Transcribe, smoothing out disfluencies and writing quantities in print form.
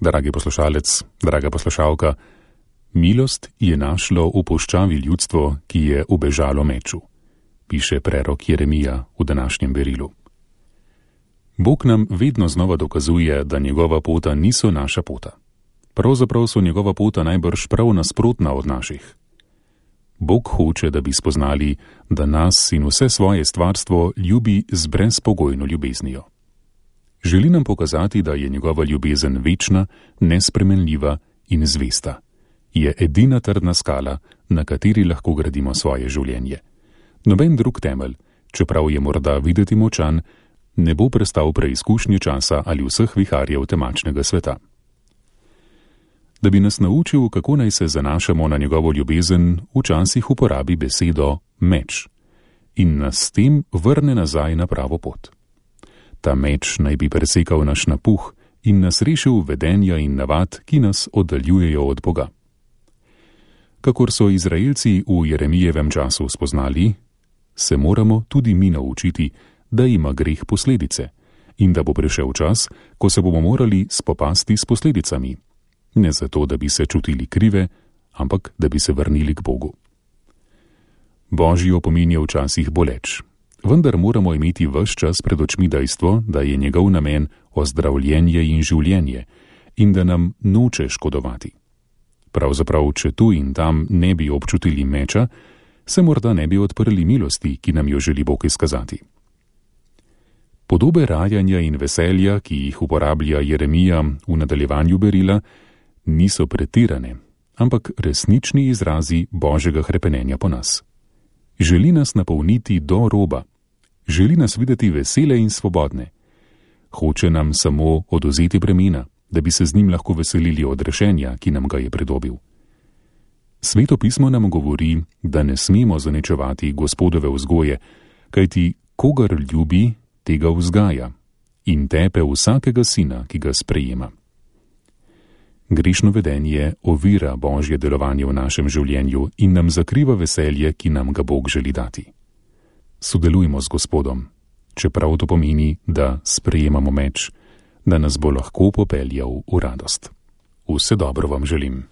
Dragi poslušalec, draga poslušalka, milost je našlo v puščavi ljudstvo, ki je ubežalo meču, piše prerok Jeremija v današnjem berilu. Bog nam vedno znova dokazuje, da njegova pota niso naša pota. Pravzaprav so njegova pota najbrž prav nasprotna od naših. Bog hoče, da bi spoznali, da nas in vse svoje stvarstvo ljubi z brezpogojno ljubeznijo. Želi nam pokazati, da je njegova ljubezen večna, nespremenljiva in zvesta. Je edina trdna skala, na kateri lahko gradimo svoje življenje. Noben drug temelj, čeprav je morda videti močan, ne bo prestal preizkušnje časa ali vseh viharjev temačnega sveta. Da bi nas naučil, kako naj se zanašamo na njegovo ljubezen, včasih uporabi besedo meč in nas s tem vrne nazaj na pravo pot. Ta meč naj bi presekal naš napuh in nas rešil vedenja in navad, ki nas oddaljujejo od Boga. Kakor so Izraelci v Jeremijevem času spoznali, se moramo tudi mi naučiti, da ima greh posledice in da bo prišel čas, ko se bomo morali spopasti s posledicami. Ne zato, da bi se čutili krive, ampak da bi se vrnili k Bogu. Božji opomin je včasih boleč, vendar moramo imeti ves čas pred očmi dejstvo, da je njegov namen ozdravljenje in življenje in da nam noče škodovati. Pravzaprav, če tu in tam ne bi občutili meča, se morda ne bi odprli milosti, ki nam jo želi Bog izkazati. Podobe rajanja in veselja, ki jih uporablja Jeremija v nadaljevanju berila, niso pretirane, ampak resnični izrazi Božjega hrepenenja po nas. Želi nas napolniti do roba, želi nas videti vesele in svobodne. Hoče nam samo odvzeti bremena, da bi se z njim lahko veselili od rešenja, ki nam ga je pridobil. Sveto pismo nam govori, da ne smemo zaničevati Gospodove vzgoje, kajti kogar ljubi, tega vzgaja in tepe vsakega sina, ki ga sprejema. Grešno vedenje ovira Božje delovanje v našem življenju in nam zakriva veselje, ki nam ga Bog želi dati. Sodelujmo z Gospodom, čeprav to pomeni, da sprejemamo meč, da nas bo lahko popeljal v radost. Vse dobro vam želim.